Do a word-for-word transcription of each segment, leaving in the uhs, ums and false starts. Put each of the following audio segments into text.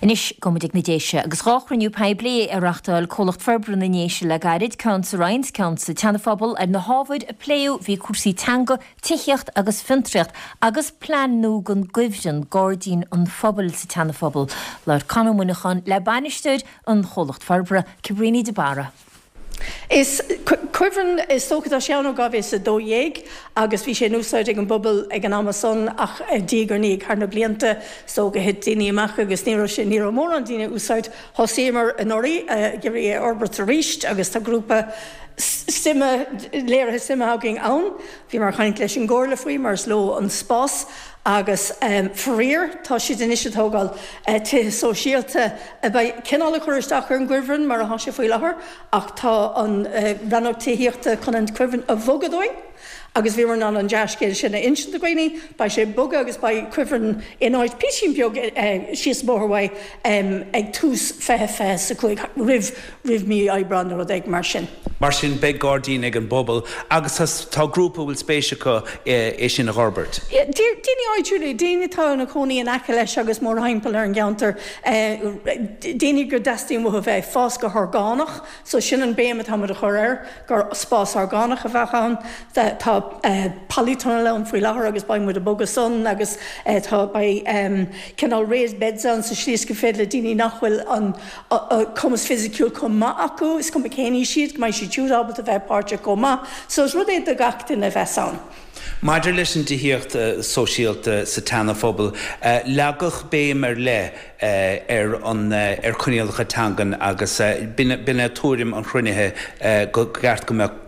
Anois gabhfaidh muid ag na Déise agus dhá chruinniú poiblí a reáchtáil Comhlacht Forbartha na nDéise le gairid ceann sa Rinn ceann sa tSeanaphobal ar na hábhair a pléadh bhí cúrsaí teanga, tithíocht agus fiontraíocht agus plean nua don gcuibhreann gairdín an phobail sa tSeanaphobal. Labhair Conn Ó Muineacháin le bainisteoir an chomhlacht forbartha Cabríní de Barra. Is cuibhreann is dócha tá sé ann ó dhá mhíle a dó dhéag agus bhí sé in úsáid ag an bpobal ag an am san ach diaidh ar ndiaidh thar na blianta so go thit daoine amach agus ní raibh sé ní raibh mórán daoine úsáid thosaíomar anuraidh ag iarraidh é a fhorbairt arís agus tá grúpa suime léirithe suime againn ann bhíomar ag caint leis an gcomhairle faoi mar is leo an spás agus um, faraor tá siad anois ag tógáil uh, tithe sóisialta a bheidh cineál ag cur isteach ar an gcuibhreann mar atá sé faoi láthair ach tá an uh, rannóg tithíochta chun an cuibhreann a bhogadh dúinn. agus bhí an an dea-scéal sin a insint do dhaoine, beidh sé bogtha agus beidh cuibhreann in áit píosa beag uh, síos bóthar um, ag tús fiche fiche a cúig roimh roimh mí Aibreán nó rud éigin mar sin. Mar sin beidh gairdín ag an bpobal agus tá grúpa bhfuil spéis acu é sin a fhorbairt. Daoine áitiúla daoine atá ina gcónaí in aice leis agus mórthimpeall ar an gceantar daoine go dteastaíonn uathu bheith fás go horgánach, so sin an béim atá a chur air gur spás orgánach a bheadh ann tá polytunnel ann faoi láthair agus beidh muid ag bogadh san agus tá beidh cineál raised beds ann sa slí is go féidir le daoine nach bhfuil an cumas fisiciúil chomh maith acu is cuma cén aois iad go mbeidh siad siúd ábalta bheith páirteach chomh maith, so is rud é do gach duine bheith ann. Maidir leis an tithíocht sóisialta sa tSeanaphobal, leagadh béim ar leith ar an ar choinníollacha teangan agus b'in é tuairim an chruinnithe go gceart go mbeadh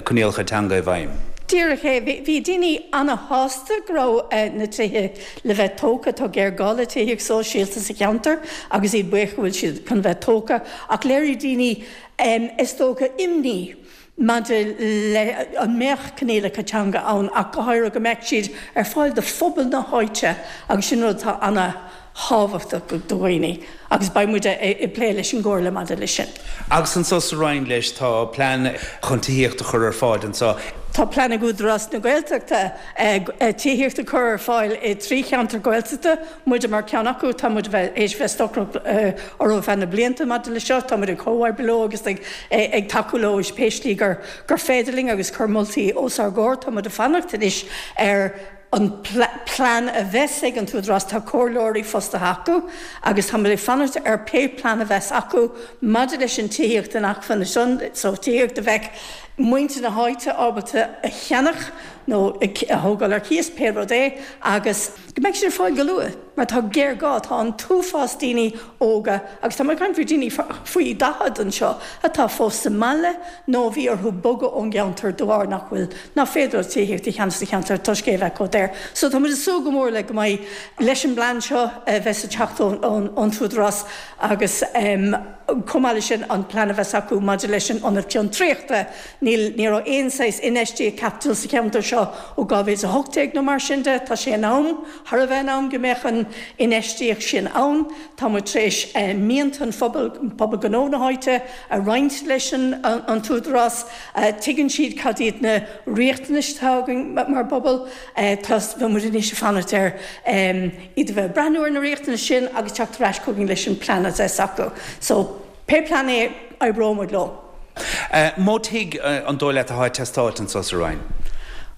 coinníollacha teanga i bhfeidhm. Díreach é bhí daoine an-sásta go raibh na tithe le bheith tógtha tá géarghá le tithíocht sóisialta sa cheantar agus iad buíoch go bhfuil siad chun bheith tógtha ach léirigh daoine is dócha imní maidir le an mbeadh coinníollacha teanga ann ach go háirithe go mbeadh siad ar fáil do phobal na háite agus sin rud atá an-thábhachtach do dhaoine agus beidh muid ag plé leis an gcomhairle maidir leis sin. Agus anseo sa Rinn leis tá plean chun tithíocht a chur ar fáil anseo. Tá plean ag Údarás na Gaeltachta tithíocht a chur ar fáil i trí cheantar Gaeltachta, muide mar ceann acu tá muid bheith éis bheith stocaireacht orthu feadh na blianta maidir le seo, tá muid ag comhoibriú leo agus ag ag tacú leo is pé slí gur gur féidir linn agus cur moltaí os ár gcomhair tá muid ag fanacht anois ar an plean a bheas ag an tÚdarás tá comhairleoirí fostaithe acu agus tá muid ag fanacht ar pé plean a bheas acu maidir leis an tithíocht inacmhainne sin so tithíocht a bheadh muintir na háite ábalta a cheannach nó a thógáil ar cíos pé rud é agus go mbeidh siad ar fáil go luath mar tá géarghá tá an t-uafás daoine óga agus tá muid ag caint faoi daoine faoi daichead anseo atá fós sa mbaile nó bhí orthu bogadh ón gceantar de bharr nach bhfuil nach féidir tithíocht a cheannach sa cheantar toisc é bheith chomh daor. So tá muid ag súil go mór le go mbeidh leis an bplean seo a bheas ag teacht ón tÚdarás agus um, chomh maith leis sin an plean a bheas acu maidir leis an ionad fiontraíochta níl ní raibh aon saghas infheistíocht caipitil sa cheantar seo ó dhá mhíle a hocht déag nó mar sin de tá sé in am thar a bheith in am go mbeadh an infheistíocht sin ann Tá muid tar éis eh, mianta an phobal pobal gnó na háite a roinnt leis an, an, an tÚdarás uh, tuigeann siad cad iad na riachtanais atá againn mar bpobal uh, tá muid anois ag fanacht ar um, iad a bheith breathnú ar na riachtanais sin agus teacht ar ais chugainn leis an plean a bheas acu. So pé plean é oibreoidh muid leo. Uh, Mó tigh uh, an dóigh leat atá ag teastáil anseo sa Rinn.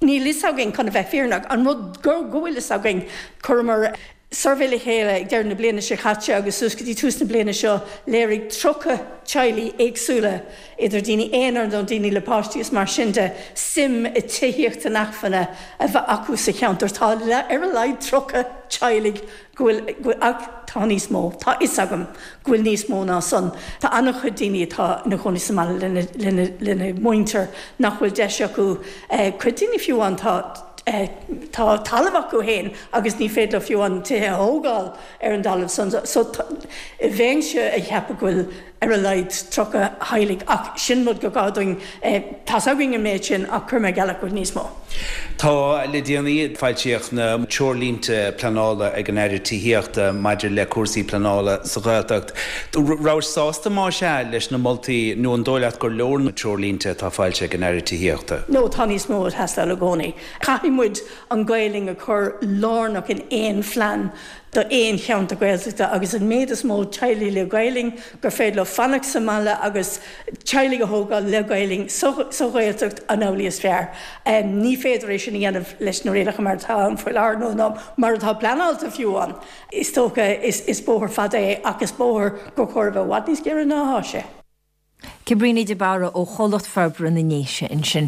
Níl fhios againn chun a bheith fírinneach an rud go go bhfuil fhios againn chuireamar suirbhé le chéile ag deireadh na bliana seo caite agus suas go dtí tús na bliana seo léirigh tríocha teaghlaigh éagsúla idir daoine aonair nó daoine le páistí is mar sin de suim i tithíocht inacmhainne a bheith acu sa cheantar tá le ar a laghad tríocha teaghlaigh go bhfuil ach tá níos mó tá fhios agam go bhfuil níos mó ná san Tá an-chuid daoine atá ina gcónaí sa mbaile lena lena lena muintir nach bhfuil deis acu cuid daoine fiú an tá tá talamh acu féin agus ní féidir fiú an tithe a thógáil ar an dtalamh san so bheinnse ag ceapadh go bhfuil ar a laghad tríocha teaghlaigh ach sin rud go gcaithfidh tá againn an méid sin ach chuir mé geall go níos mó. Tá le déanaí foilsíodh na treoirlínte pleanála ag an Aire Tithíochta maidir le cúrsaí pleanála sa Ghaeltacht. Raibh sásta má sea leis na moltaí nó an dóigh leat gur leor na treoirlínte atá foilsithe ag an Aire Tithíochta. No tá níos mó ag teastáil i gcónaí. Caithfidh muid an Ghaelainn a chur lárnach in aon phlean do aon cheantar Gaeltachta agus an méid is mó teaghlaigh le Gaelainn gur féidir leo fanacht sa mbaile agus teaghlaigh a thógáil le Gaelainn sa Ghaeltacht an amhlaidh is fearr. Ní féidir é sin a dhéanamh leis na rialacha mar atá ann faoi láthair nó nó mar atá pleanáilte fiú ann. Is dócha is bóthar fada é ach is bóthar gur chóir a bheith i bhfad níos giorra ná atá sé. Cabríní de Barra ó Chomhlacht Forbartha na nDéise ansin.